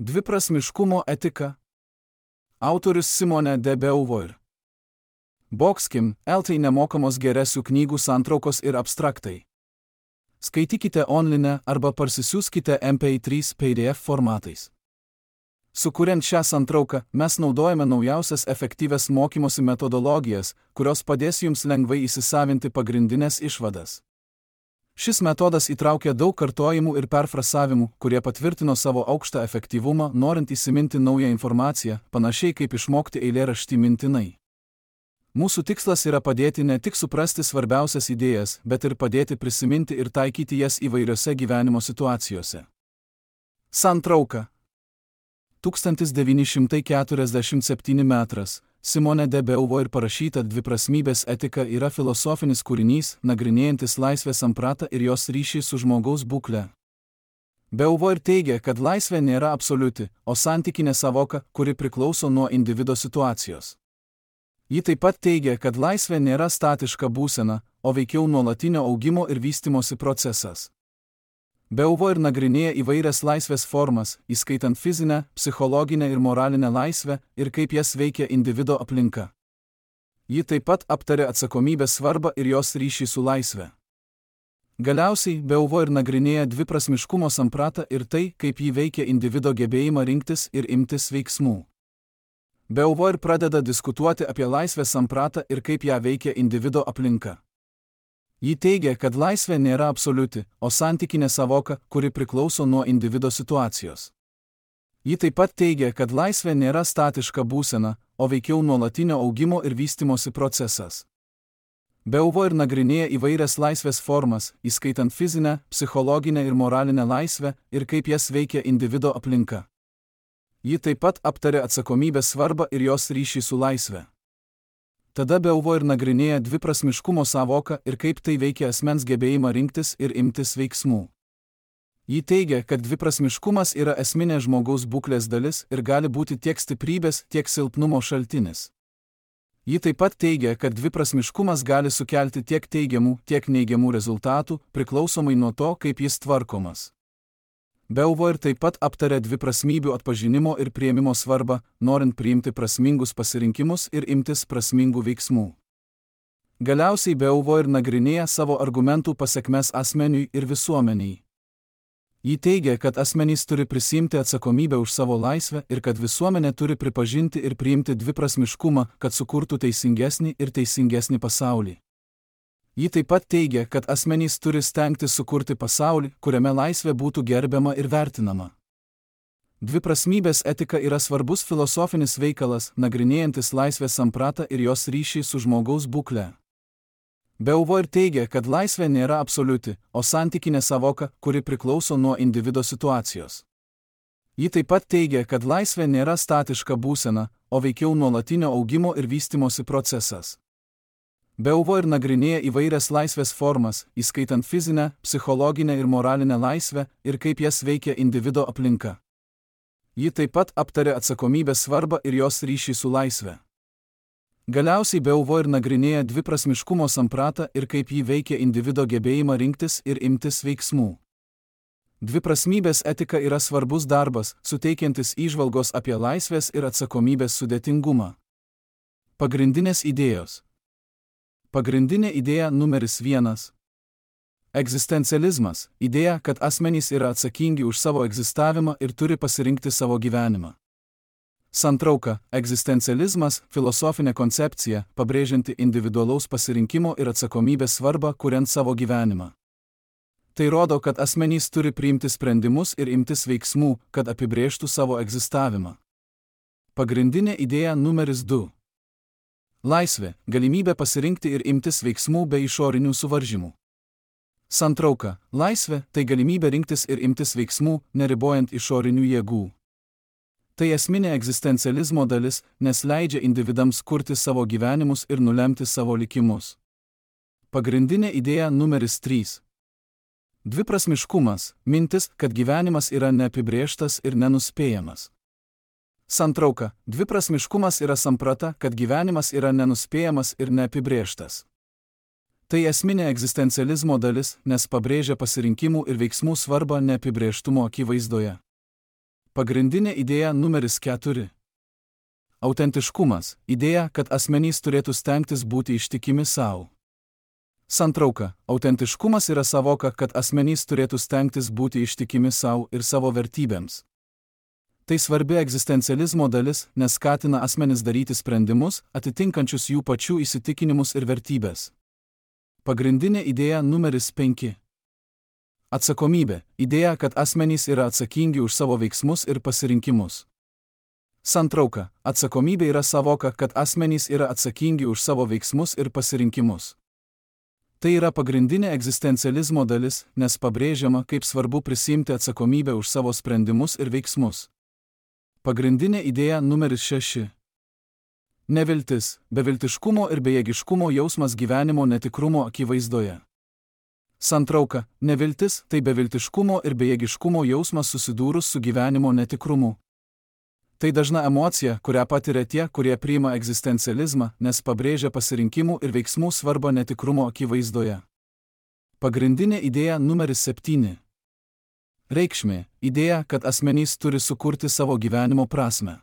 Dviprasmiškumo etika. Autorius Simone de Beauvoir. Boxkim, LT nemokamos geresių knygų santraukos ir abstraktai. Skaitykite online arba parsisiųskite MP3 PDF formatais. Sukuriant šią santrauką, mes naudojame naujausias efektyvias mokymosi metodologijas, kurios padės jums lengvai įsisavinti pagrindinės išvadas. Šis metodas įtraukia daug kartojimų ir perfrasavimų, kurie patvirtino savo aukštą efektyvumą, norint įsiminti naują informaciją, panašiai kaip išmokti eilėraštį mintinai. Mūsų tikslas yra padėti ne tik suprasti svarbiausias idėjas, bet ir padėti prisiminti ir taikyti jas įvairiose gyvenimo situacijose. Santrauka. 1947 metras. Simone de Beauvoir parašyta Dviprasmybės etika yra filosofinis kūrinys, nagrinėjantis laisvės sampratą ir jos ryšį su žmogaus būkle. Beauvoir teigia, kad laisvė nėra absoliuti, o santykinė savoka, kuri priklauso nuo individo situacijos. Ji taip pat teigia, kad laisvė nėra statiška būsena, o veikiau nuolatinio augimo ir vystymosi procesas. Beauvoir nagrinėja įvairias laisvės formas, įskaitant fizinę, psichologinę ir moralinę laisvę ir kaip jas veikia individo aplinka. Ji taip pat aptarė atsakomybės svarbą ir jos ryšį su laisve. Galiausiai, Beauvoir nagrinėja dviprasmiškumo sampratą ir tai, kaip ji veikia individo gebėjimą rinktis ir imtis veiksmų. Beauvoir pradeda diskutuoti apie laisvės sampratą ir kaip ją veikia individo aplinka. Ji teigia, kad laisvė nėra absoliuti, o santykinė savoka, kuri priklauso nuo individo situacijos. Ji taip pat teigia, kad laisvė nėra statiška būsena, o veikiau nuolatinio augimo ir vystymosi procesas. Beauvoir nagrinėja įvairias laisvės formas, įskaitant fizinę, psichologinę ir moralinę laisvę ir kaip jas veikia individo aplinka. Ji taip pat aptarė atsakomybės svarbą ir jos ryšį su laisve. Tada Beauvoir nagrinėja dviprasmiškumo savoką ir kaip tai veikia asmens gebėjimą rinktis ir imtis veiksmų. Ji teigia, kad dviprasmiškumas yra esminė žmogaus būklės dalis ir gali būti tiek stiprybės, tiek silpnumo šaltinis. Ji taip pat teigia, kad dviprasmiškumas gali sukelti tiek teigiamų, tiek neigiamų rezultatų, priklausomai nuo to, kaip jis tvarkomas. Beauvoir taip pat aptarė dviprasmybių atpažinimo ir priėmimo svarbą, norint priimti prasmingus pasirinkimus ir imtis prasmingų veiksmų. Galiausiai Beauvoir nagrinėja savo argumentų pasekmes asmeniui ir visuomeniai. Ji teigia, kad asmenys turi prisiimti atsakomybę už savo laisvę ir kad visuomenė turi pripažinti ir priimti dviprasmiškumą, kad sukurtų teisingesnį ir teisingesnį pasaulį. Ji taip pat teigia, kad asmenys turi stengtis sukurti pasaulį, kuriame laisvė būtų gerbiama ir vertinama. Dviprasmybės etika yra svarbus filosofinis veikalas, nagrinėjantis laisvės sampratą ir jos ryšį su žmogaus būkle. Beauvoir teigia, kad laisvė nėra absoliuti, o santykinė savoka, kuri priklauso nuo individo situacijos. Ji taip pat teigia, kad laisvė nėra statiška būsena, o veikiau nuolatinio augimo ir vystymosi procesas. Beauvoir nagrinėja įvairias laisvės formas, įskaitant fizinę, psichologinę ir moralinę laisvę ir kaip jas veikia individo aplinka. Ji taip pat aptarė atsakomybės svarbą ir jos ryšį su laisve. Galiausiai Beauvoir nagrinėja dviprasmiškumo sampratą ir kaip ji veikia individo gebėjimą rinktis ir imtis veiksmų. Dviprasmybės etika yra svarbus darbas, suteikiantis įžvalgos apie laisvės ir atsakomybės sudėtingumą. Pagrindinės idėjos. Pagrindinė idėja numeris 1. Egzistencializmas – idėja, kad asmenys yra atsakingi už savo egzistavimą ir turi pasirinkti savo gyvenimą. Santrauka – egzistencializmas – filosofinė koncepcija, pabrėžianti individualaus pasirinkimo ir atsakomybės svarbą, kuriant savo gyvenimą. Tai rodo, kad asmenys turi priimti sprendimus ir imtis veiksmų, kad apibrėžtų savo egzistavimą. Pagrindinė idėja numeris 2. Laisvė – galimybė pasirinkti ir imtis veiksmų be išorinių suvaržymų. Santrauka – laisvė – tai galimybė rinktis ir imtis veiksmų, neribojant išorinių jėgų. Tai esminė egzistencializmo dalis, nes leidžia individams kurti savo gyvenimus ir nulemti savo likimus. Pagrindinė idėja numeris 3. Dviprasmiškumas – mintis, kad gyvenimas yra neapibrėžtas ir nenuspėjamas. Santrauka – dviprasmiškumas yra samprata, kad gyvenimas yra nenuspėjamas ir neapibrėžtas. Tai esminė egzistencializmo dalis, nes pabrėžia pasirinkimų ir veiksmų svarbą neapibrėžtumo akivaizdoje. Pagrindinė idėja numeris 4. Autentiškumas – idėja, kad asmenys turėtų stengtis būti ištikimi savo. Santrauka – autentiškumas yra savoka, kad asmenys turėtų stengtis būti ištikimi savo ir savo vertybėms. Tai svarbi egzistencializmo dalis, nes skatina asmenis daryti sprendimus, atitinkančius jų pačių įsitikinimus ir vertybės. Pagrindinė idėja numeris 5. Atsakomybė – idėja, kad asmenys yra atsakingi už savo veiksmus ir pasirinkimus. Santrauka – atsakomybė yra savoka, kad asmenys yra atsakingi už savo veiksmus ir pasirinkimus. Tai yra pagrindinė egzistencializmo dalis, nes pabrėžiama, kaip svarbu prisiimti atsakomybę už savo sprendimus ir veiksmus. Pagrindinė idėja numeris 6. Neviltis – beviltiškumo ir bejėgiškumo jausmas gyvenimo netikrumo akivaizdoje. Santrauka – neviltis – tai beviltiškumo ir bejėgiškumo jausmas susidūrus su gyvenimo netikrumu. Tai dažna emocija, kurią patiria tie, kurie priima egzistencializmą, nes pabrėžia pasirinkimų ir veiksmų svarbą netikrumo akivaizdoje. Pagrindinė idėja numeris 7. Reikšmė – idėja, kad asmenys turi sukurti savo gyvenimo prasmę.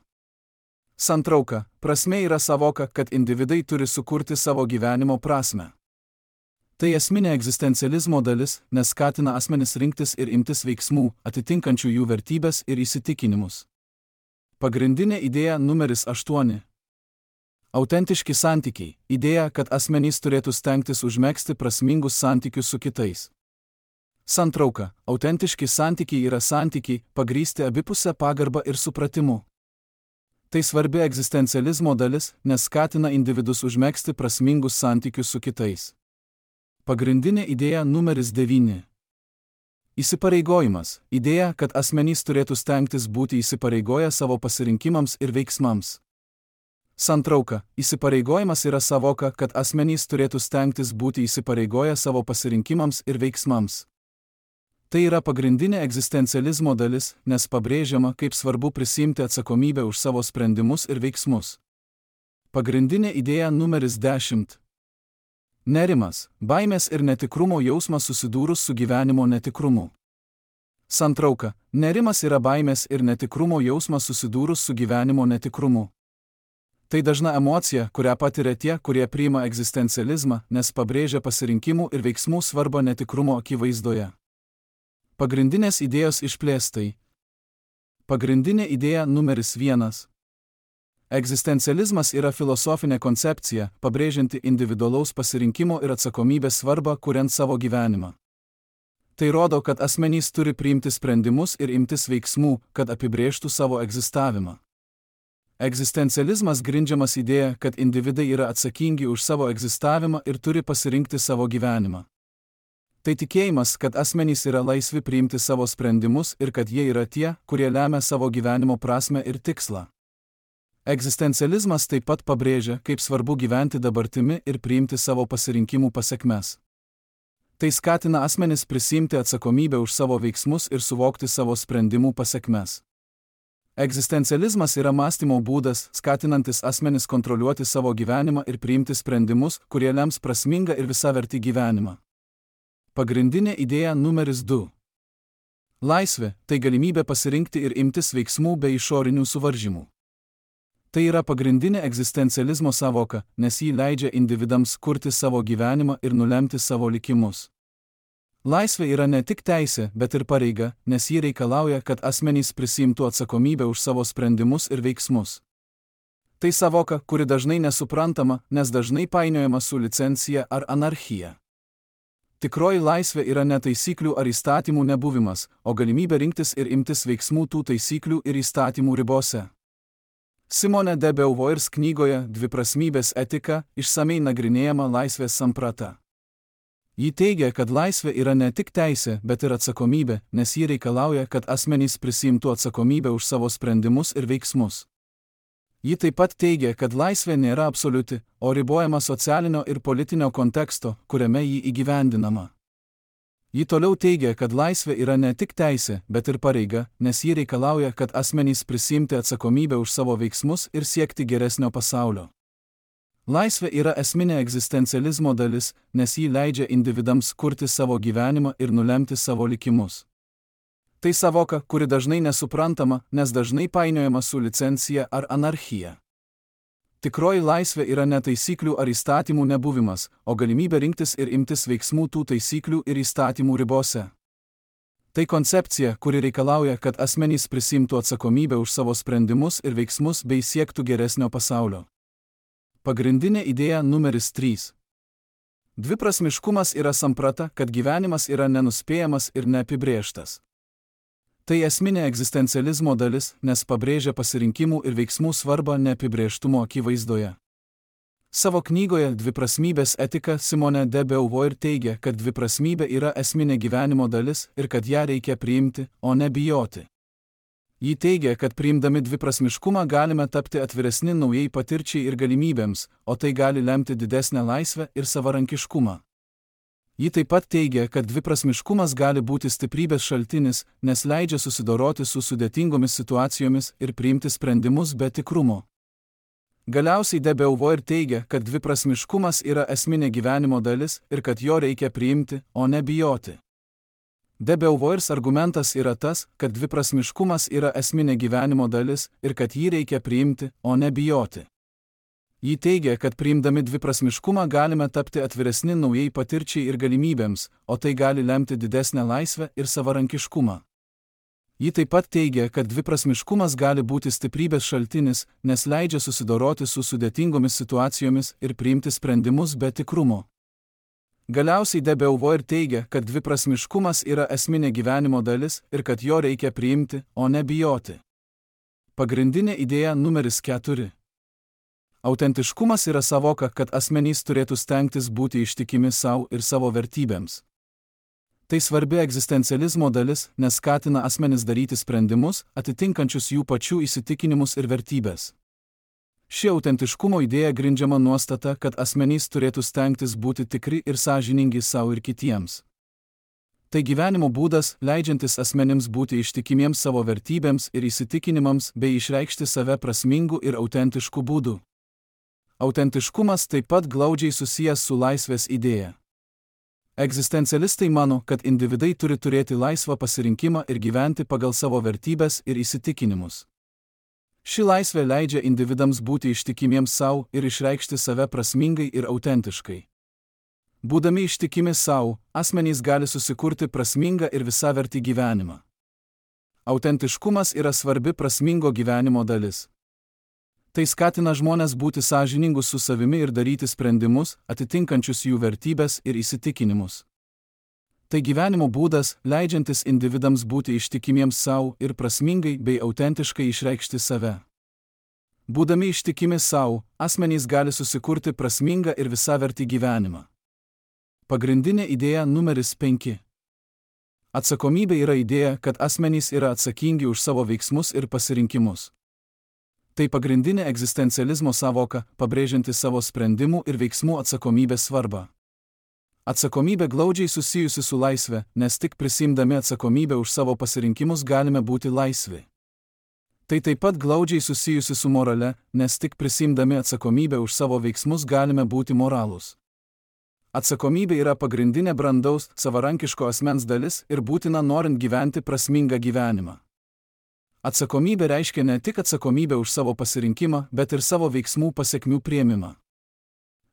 Santrauka – prasmė yra savoka, kad individai turi sukurti savo gyvenimo prasmę. Tai esminė egzistencializmo dalis, nes skatina asmenis rinktis ir imtis veiksmų, atitinkančių jų vertybės ir įsitikinimus. Pagrindinė idėja numeris 8. Autentiški santykiai – idėja, kad asmenys turėtų stengtis užmegzti prasmingus santykius su kitais. Santrauka – autentiški santykiai yra santykiai, pagrįsti abipusę pagarbą ir supratimu. Tai svarbi egzistencializmo dalis, nes skatina individus užmegzti prasmingus santykius su kitais. Pagrindinė idėja numeris 9. Įsipareigojimas – idėja, kad asmenys turėtų stengtis būti įsipareigoję savo pasirinkimams ir veiksmams. Santrauka – įsipareigojimas yra savoka, kad asmenys turėtų stengtis būti įsipareigoję savo pasirinkimams ir veiksmams. Tai yra pagrindinė egzistencializmo dalis, nes pabrėžiama, kaip svarbu prisiimti atsakomybę už savo sprendimus ir veiksmus. Pagrindinė idėja numeris 10. Nerimas, baimės ir netikrumo jausmas susidūrus su gyvenimo netikrumu. Santrauka – nerimas yra baimės ir netikrumo jausmas susidūrus su gyvenimo netikrumu. Tai dažna emocija, kurią patiria tie, kurie priima egzistencializmą, nes pabrėžia pasirinkimų ir veiksmų svarbą netikrumo akivaizdoje. Pagrindinės idėjos išplėstai. Pagrindinė idėja numeris 1. Egzistencializmas yra filosofinė koncepcija, pabrėžianti individualaus pasirinkimo ir atsakomybės svarbą, kuriant savo gyvenimą. Tai rodo, kad asmenys turi priimti sprendimus ir imtis veiksmų, kad apibrėžtų savo egzistavimą. Egzistencializmas grindžiamas idėja, kad individai yra atsakingi už savo egzistavimą ir turi pasirinkti savo gyvenimą. Tai tikėjimas, kad asmenys yra laisvi priimti savo sprendimus ir kad jie yra tie, kurie lemia savo gyvenimo prasmę ir tikslą. Egzistencializmas taip pat pabrėžia, kaip svarbu gyventi dabartimi ir priimti savo pasirinkimų pasekmes. Tai skatina asmenis prisiimti atsakomybę už savo veiksmus ir suvokti savo sprendimų pasekmes. Egzistencializmas yra mąstymo būdas, skatinantis asmenis kontroliuoti savo gyvenimą ir priimti sprendimus, kurie lems prasmingą ir visavertį gyvenimą. Pagrindinė idėja numeris 2. Laisvė – tai galimybė pasirinkti ir imtis veiksmų be išorinių suvaržymų. Tai yra pagrindinė egzistencializmo savoka, nes ji leidžia individams kurti savo gyvenimą ir nulemti savo likimus. Laisvė yra ne tik teisė, bet ir pareiga, nes ji reikalauja, kad asmenys prisiimtų atsakomybę už savo sprendimus ir veiksmus. Tai savoka, kuri dažnai nesuprantama, nes dažnai painiojama su licencija ar anarchija. Tikroji laisvė yra ne taisyklių ar įstatymų nebuvimas, o galimybė rinktis ir imtis veiksmų tų taisyklių ir įstatymų ribose. Simone de Beauvoirs knygoje Dviprasmybės etika išsamei nagrinėjama laisvės samprata. Ji teigia, kad laisvė yra ne tik teisė, bet ir atsakomybė, nes ji reikalauja, kad asmenys prisiimtų atsakomybę už savo sprendimus ir veiksmus. Ji taip pat teigia, kad laisvė nėra absoliuti, o ribojama socialinio ir politinio konteksto, kuriame ji įgyvendinama. Ji toliau teigia, kad laisvė yra ne tik teisė, bet ir pareiga, nes ji reikalauja, kad asmenys prisiimti atsakomybę už savo veiksmus ir siekti geresnio pasaulio. Laisvė yra esminė egzistencializmo dalis, nes ji leidžia individams kurti savo gyvenimą ir nulemti savo likimus. Tai savoka, kuri dažnai nesuprantama, nes dažnai painiojama su licencija ar anarchija. Tikroji laisvė yra ne taisyklių ar įstatymų nebuvimas, o galimybė rinktis ir imtis veiksmų tų taisyklių ir įstatymų ribose. Tai koncepcija, kuri reikalauja, kad asmenys prisimtų atsakomybę už savo sprendimus ir veiksmus bei siektų geresnio pasaulio. Pagrindinė idėja numeris 3. Dviprasmiškumas yra samprata, kad gyvenimas yra nenuspėjamas ir neapibrėžtas. Tai esminė egzistencializmo dalis, nes pabrėžia pasirinkimų ir veiksmų svarbą neapibrėžtumo akivaizdoje. Savo knygoje Dviprasmybės etika Simone de Beauvoir teigia, kad dviprasmybė yra esminė gyvenimo dalis ir kad ją reikia priimti, o ne bijoti. Ji teigia, kad priimdami dviprasmiškumą galime tapti atviresni naujai patirčiai ir galimybėms, o tai gali lemti didesnę laisvę ir savarankiškumą. Ji taip pat teigia, kad dviprasmiškumas gali būti stiprybės šaltinis, nes leidžia susidoroti su sudėtingomis situacijomis ir priimti sprendimus be tikrumo. Galiausiai de Beauvoir teigia, kad dviprasmiškumas yra esminė gyvenimo dalis ir kad jo reikia priimti, o ne bijoti. De Beauvoirs argumentas yra tas, kad dviprasmiškumas yra esminė gyvenimo dalis ir kad jį reikia priimti, o ne bijoti. Ji teigia, kad priimdami dviprasmiškumą galime tapti atviresni naujai patirčiai ir galimybėms, o tai gali lemti didesnę laisvę ir savarankiškumą. Ji taip pat teigia, kad dviprasmiškumas gali būti stiprybės šaltinis, nes leidžia susidoroti su sudėtingomis situacijomis ir priimti sprendimus be tikrumo. Galiausiai de Beauvoir teigia, kad dviprasmiškumas yra esminė gyvenimo dalis ir kad jo reikia priimti, o ne bijoti. Pagrindinė idėja numeris 4. Autentiškumas yra savoka, kad asmenys turėtų stengtis būti ištikimi savo ir savo vertybėms. Tai svarbi egzistencializmo dalis, nes skatina asmenis daryti sprendimus, atitinkančius jų pačių įsitikinimus ir vertybės. Ši autentiškumo idėja grindžiama nuostata, kad asmenys turėtų stengtis būti tikri ir sąžiningi savo ir kitiems. Tai gyvenimo būdas, leidžiantis asmenims būti ištikimiems savo vertybėms ir įsitikinimams bei išreikšti save prasmingu ir autentišku būdu. Autentiškumas taip pat glaudžiai susijęs su laisvės idėja. Egzistencialistai mano, kad individai turi turėti laisvą pasirinkimą ir gyventi pagal savo vertybės ir įsitikinimus. Ši laisvė leidžia individams būti ištikimiems savo ir išreikšti save prasmingai ir autentiškai. Būdami ištikimi savo, asmenys gali susikurti prasmingą ir visavertį gyvenimą. Autentiškumas yra svarbi prasmingo gyvenimo dalis. Tai skatina žmones būti sąžiningus su savimi ir daryti sprendimus, atitinkančius jų vertybės ir įsitikinimus. Tai gyvenimo būdas, leidžiantis individams būti ištikimiems savo ir prasmingai bei autentiškai išreikšti save. Būdami ištikimi savo, asmenys gali susikurti prasmingą ir visavertį gyvenimą. Pagrindinė idėja numeris 5. Atsakomybė yra idėja, kad asmenys yra atsakingi už savo veiksmus ir pasirinkimus. Tai pagrindinė egzistencializmo savoka, pabrėžianti savo sprendimų ir veiksmų atsakomybės svarbą. Atsakomybė glaudžiai susijusi su laisve, nes tik prisiimdami atsakomybę už savo pasirinkimus galime būti laisvi. Tai taip pat glaudžiai susijusi su morale, nes tik prisiimdami atsakomybę už savo veiksmus galime būti moralūs. Atsakomybė yra pagrindinė brandaus, savarankiško asmens dalis ir būtina norint gyventi prasmingą gyvenimą. Atsakomybė reiškia ne tik atsakomybę už savo pasirinkimą, bet ir savo veiksmų pasekmių priėmimą.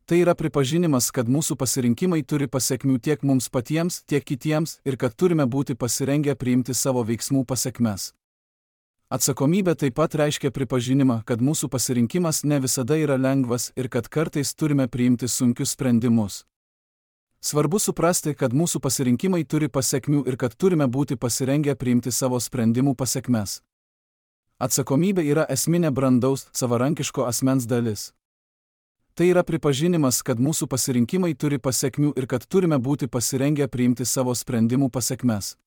Tai yra pripažinimas, kad mūsų pasirinkimai turi pasekmių tiek mums patiems, tiek kitiems ir kad turime būti pasirengę priimti savo veiksmų pasekmes. Atsakomybė taip pat reiškia pripažinimą, kad mūsų pasirinkimas ne visada yra lengvas ir kad kartais turime priimti sunkius sprendimus. Svarbu suprasti, kad mūsų pasirinkimai turi pasekmių ir kad turime būti pasirengę priimti savo sprendimų pasekmes. Atsakomybė yra esminė brandaus, savarankiško asmens dalis. Tai yra pripažinimas, kad mūsų pasirinkimai turi pasekmių ir kad turime būti pasirengę priimti savo sprendimų pasekmes.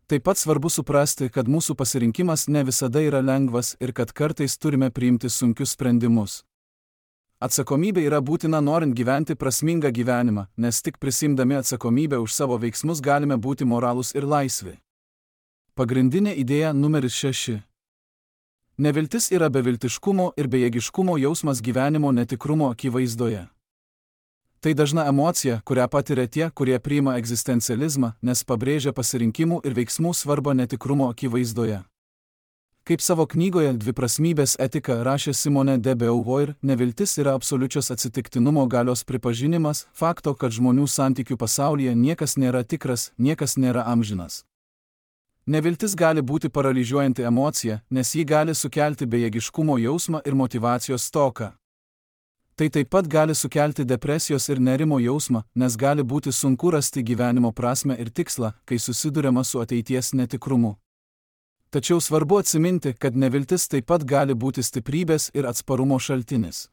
Taip pat svarbu suprasti, kad mūsų pasirinkimas ne visada yra lengvas ir kad kartais turime priimti sunkius sprendimus. Atsakomybė yra būtina norint gyventi prasmingą gyvenimą, nes tik prisiimdami atsakomybę už savo veiksmus galime būti moralūs ir laisvi. Pagrindinė idėja numeris 6. Neviltis yra beviltiškumo ir bejėgiškumo jausmas gyvenimo netikrumo akivaizdoje. Tai dažna emocija, kurią patiria tie, kurie priima egzistencializmą, nes pabrėžia pasirinkimų ir veiksmų svarbą netikrumo akivaizdoje. Kaip savo knygoje Dviprasmybės etika rašė Simone de Beauvoir, neviltis yra absoliučios atsitiktinumo galios pripažinimas, fakto, kad žmonių santykių pasaulyje niekas nėra tikras, niekas nėra amžinas. Neviltis gali būti paralyžiuojanti emocija, nes ji gali sukelti bejėgiškumo jausmą ir motyvacijos stoką. Tai taip pat gali sukelti depresijos ir nerimo jausmą, nes gali būti sunku rasti gyvenimo prasmę ir tikslą, kai susiduriama su ateities netikrumu. Tačiau svarbu atsiminti, kad neviltis taip pat gali būti stiprybės ir atsparumo šaltinis.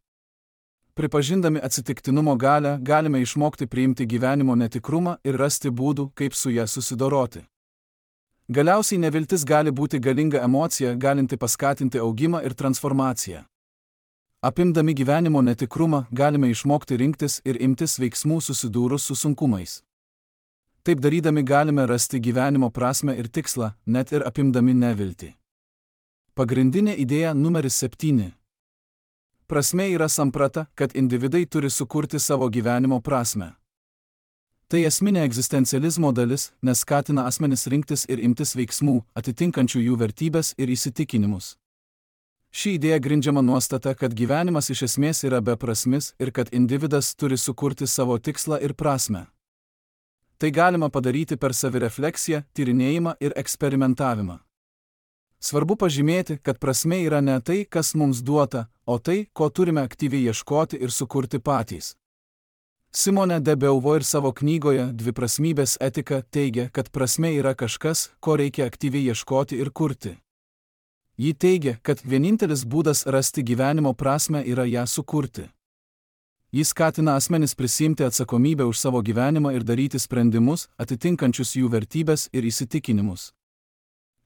Pripažindami atsitiktinumo galią, galime išmokti priimti gyvenimo netikrumą ir rasti būdų, kaip su ja susidoroti. Galiausiai neviltis gali būti galinga emocija, galinti paskatinti augimą ir transformaciją. Apimdami gyvenimo netikrumą, galime išmokti rinktis ir imtis veiksmų susidūrus su sunkumais. Taip darydami galime rasti gyvenimo prasmę ir tikslą, net ir apimdami neviltį. Pagrindinė idėja numeris 7. Prasmė yra samprata, kad individai turi sukurti savo gyvenimo prasmę. Tai esminė egzistencializmo dalis, nes skatina asmenis rinktis ir imtis veiksmų, atitinkančių jų vertybės ir įsitikinimus. Ši idėja grindžiama nuostata, kad gyvenimas iš esmės yra beprasmis ir kad individas turi sukurti savo tikslą ir prasmę. Tai galima padaryti per savirefleksiją, tyrinėjimą ir eksperimentavimą. Svarbu pažymėti, kad prasmė yra ne tai, kas mums duota, o tai, ko turime aktyviai ieškoti ir sukurti patys. Simone de Beauvoir savo knygoje Dviprasmybės etika teigia, kad prasmė yra kažkas, ko reikia aktyviai ieškoti ir kurti. Ji teigia, kad vienintelis būdas rasti gyvenimo prasmę yra ją sukurti. Jis skatina asmenis prisiimti atsakomybę už savo gyvenimą ir daryti sprendimus, atitinkančius jų vertybės ir įsitikinimus.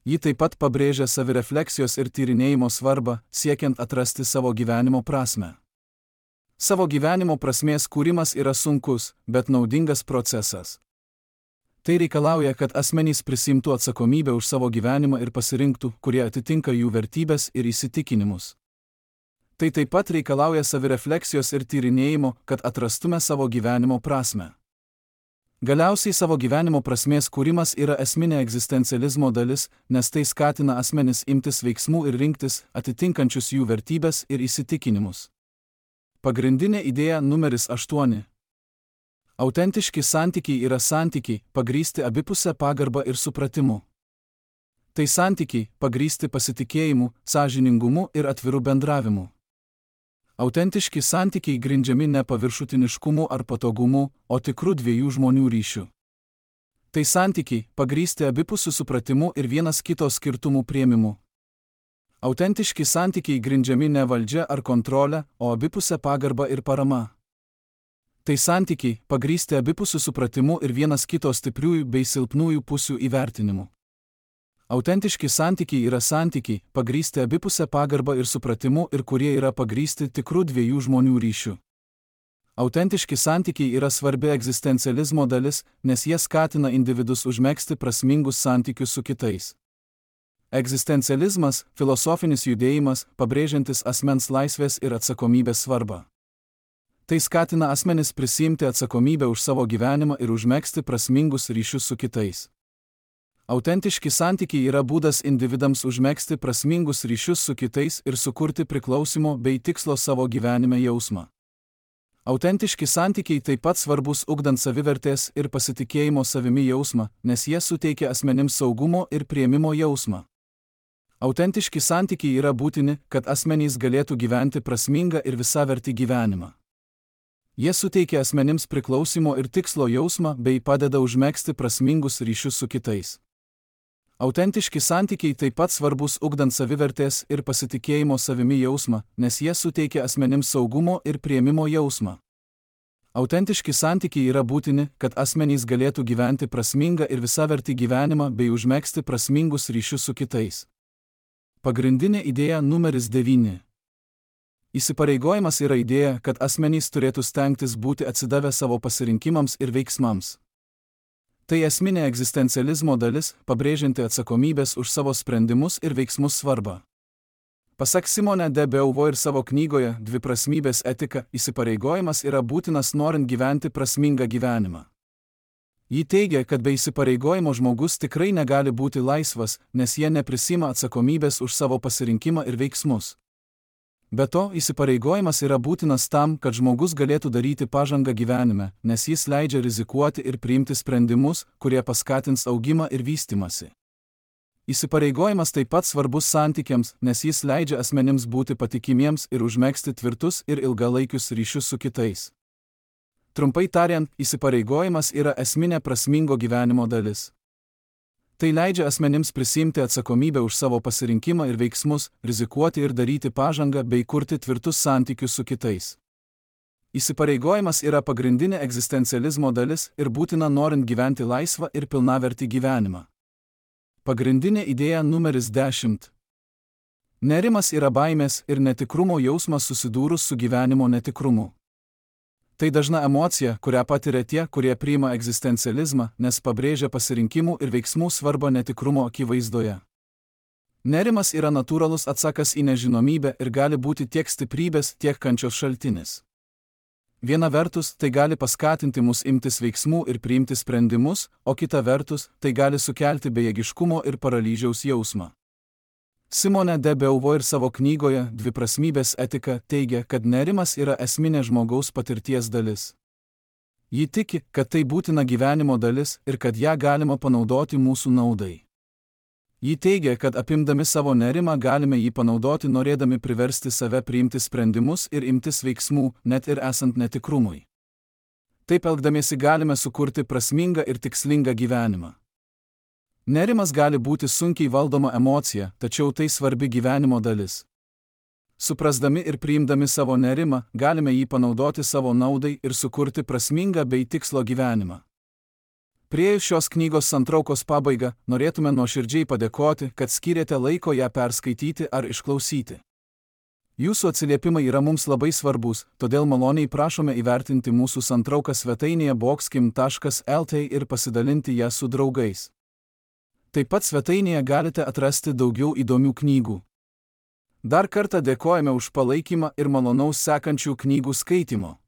Ji taip pat pabrėžia savirefleksijos ir tyrinėjimo svarbą, siekiant atrasti savo gyvenimo prasmę. Savo gyvenimo prasmės kūrimas yra sunkus, bet naudingas procesas. Tai reikalauja, kad asmenys prisimtų atsakomybę už savo gyvenimą ir pasirinktų, kurie atitinka jų vertybės ir įsitikinimus. Tai taip pat reikalauja savirefleksijos ir tyrinėjimo, kad atrastume savo gyvenimo prasmę. Galiausiai savo gyvenimo prasmės kūrimas yra esminė egzistencializmo dalis, nes tai skatina asmenis imtis veiksmų ir rinktis, atitinkančius jų vertybės ir įsitikinimus. Pagrindinė idėja numeris 8. Autentiški santykiai yra santykiai, pagrįsti abipusę pagarbą ir supratimu. Tai santykiai, pagrįsti pasitikėjimu, sąžiningumu ir atviru bendravimu. Autentiški santykiai grindžiami ne paviršutiniškumu ar patogumu, o tikrų dviejų žmonių ryšių. Tai santykiai, pagrįsti abipusiu supratimu ir vienas kito skirtumų priėmimu. Autentiški santykiai grindžiami ne valdžia ar kontrolė, o abipusę pagarbą ir parama. Tai santykiai, pagrįsti abipusiu supratimu ir vienas kito stipriųjų bei silpnųjų pusių įvertinimu. Autentiški santykiai yra santykiai, pagrįsti abipusę pagarbą ir supratimu ir kurie yra pagrįsti tikrų dviejų žmonių ryšių. Autentiški santykiai yra svarbi egzistencializmo dalis, nes jie skatina individus užmegzti prasmingus santykius su kitais. Egzistencializmas – filosofinis judėjimas, pabrėžiantis asmens laisvės ir atsakomybės svarbą. Tai skatina asmenis prisiimti atsakomybę už savo gyvenimą ir užmegzti prasmingus ryšius su kitais. Autentiški santykiai yra būdas individams užmegzti prasmingus ryšius su kitais ir sukurti priklausimo bei tikslo savo gyvenime jausmą. Autentiški santykiai taip pat svarbus ugdant savivertės ir pasitikėjimo savimi jausmą, nes jie suteikia asmenims saugumo ir priėmimo jausmą. Autentiški santykiai yra būtini, kad asmenys galėtų gyventi prasmingą ir visavertį gyvenimą. Jie suteikia asmenims priklausimo ir tikslo jausmą bei padeda užmegzti prasmingus ryšius su kitais. Autentiški santykiai taip pat svarbus ugdant savivertės ir pasitikėjimo savimi jausmą, nes jie suteikia asmenims saugumo ir priėmimo jausmą. Autentiški santykiai yra būtini, kad asmenys galėtų gyventi prasmingą ir visavertį gyvenimą bei užmegzti prasmingus ryšius su kitais. Pagrindinė idėja numeris 9. Įsipareigojimas yra idėja, kad asmenys turėtų stengtis būti atsidavę savo pasirinkimams ir veiksmams. Tai esminė egzistencializmo dalis, pabrėžianti atsakomybės už savo sprendimus ir veiksmus svarbą. Pasak Simone de Beauvoir savo knygoje Dviprasmybės etika, įsipareigojimas yra būtinas norint gyventi prasmingą gyvenimą. Ji teigia, kad be įsipareigojimo žmogus tikrai negali būti laisvas, nes jie neprisima atsakomybės už savo pasirinkimą ir veiksmus. Be to, įsipareigojimas yra būtinas tam, kad žmogus galėtų daryti pažangą gyvenime, nes jis leidžia rizikuoti ir priimti sprendimus, kurie paskatins augimą ir vystymąsi. Įsipareigojimas taip pat svarbus santykiams, nes jis leidžia asmenims būti patikimiems ir užmegzti tvirtus ir ilgalaikius ryšius su kitais. Trumpai tariant, įsipareigojimas yra esminė prasmingo gyvenimo dalis. Tai leidžia asmenims prisimti atsakomybę už savo pasirinkimą ir veiksmus, rizikuoti ir daryti pažangą bei kurti tvirtus santykius su kitais. Įsipareigojimas yra pagrindinė egzistencializmo dalis ir būtina norint gyventi laisvą ir pilnavertį gyvenimą. Pagrindinė idėja numeris 10. Nerimas yra baimės ir netikrumo jausmas susidūrus su gyvenimo netikrumu. Tai dažna emocija, kurią patiria tie, kurie priima egzistencializmą, nes pabrėžia pasirinkimų ir veiksmų svarbą netikrumo akivaizdoje. Nerimas yra natūralus atsakas į nežinomybę ir gali būti tiek stiprybės, tiek kančios šaltinis. Viena vertus, tai gali paskatinti mus imtis veiksmų ir priimti sprendimus, o kita vertus, tai gali sukelti bejėgiškumo ir paralyžiaus jausmą. Simone de Beauvoir savo knygoje Dviprasmybės etika teigia, kad nerimas yra esminė žmogaus patirties dalis. Ji tiki, kad tai būtina gyvenimo dalis ir kad ją galima panaudoti mūsų naudai. Ji teigia, kad apimdami savo nerimą galime jį panaudoti norėdami priversti save priimti sprendimus ir imtis veiksmų, net ir esant netikrumui. Taip elgdamiesi galime sukurti prasmingą ir tikslingą gyvenimą. Nerimas gali būti sunkiai valdoma emocija, tačiau tai svarbi gyvenimo dalis. Suprasdami ir priimdami savo nerimą, galime jį panaudoti savo naudai ir sukurti prasmingą bei tikslo gyvenimą. Priėjus šios knygos santraukos pabaigą, norėtume nuoširdžiai padėkoti, kad skyrėte laiko ją perskaityti ar išklausyti. Jūsų atsiliepimai yra mums labai svarbus, todėl maloniai prašome įvertinti mūsų santrauką svetainėje boxkim.lt ir pasidalinti ją su draugais. Taip pat svetainėje galite atrasti daugiau įdomių knygų. Dar kartą dėkojame už palaikymą ir malonaus sekančių knygų skaitimo.